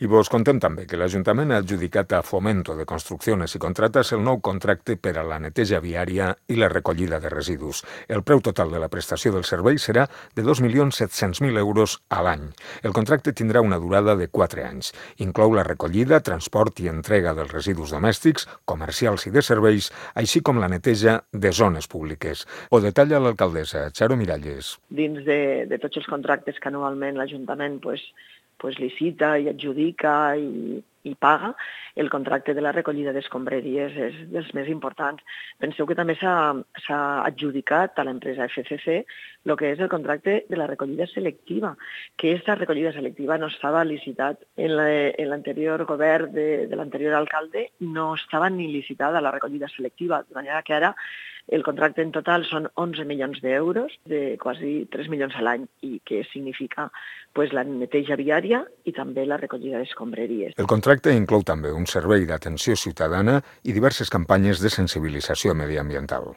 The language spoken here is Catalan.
I vos contem també que l'Ajuntament ha adjudicat a Fomento de Construcciones y Contratas el nou contracte per a la neteja viària i la recollida de residus. El preu total de la prestació del servei serà de 2.700.000 euros a l'any. El contracte tindrà una durada de 4 anys. Inclou la recollida, transport i entrega dels residus domèstics, comercials i de serveis, així com la neteja de zones públiques. Ho detalla l'alcaldessa, Charo Miralles. Dins de tots els contractes que anualment l'Ajuntament licita i adjudica i paga, el contracte de la recollida d'escombraries és dels més importants. Penseu que també s'ha adjudicat a l'empresa FCC el que és el contracte de la recollida selectiva, que aquesta recollida selectiva no estava licitat en l'anterior govern de l'anterior alcalde, no estava ni licitada la recollida selectiva, de manera que ara el contracte en total són 11 milions d'euros, de quasi 3 milions a l'any, i que significa la neteja viària i també la recollida d'escombraries. El contracte inclou també un servei d'atenció ciutadana i diverses campanyes de sensibilització mediambiental.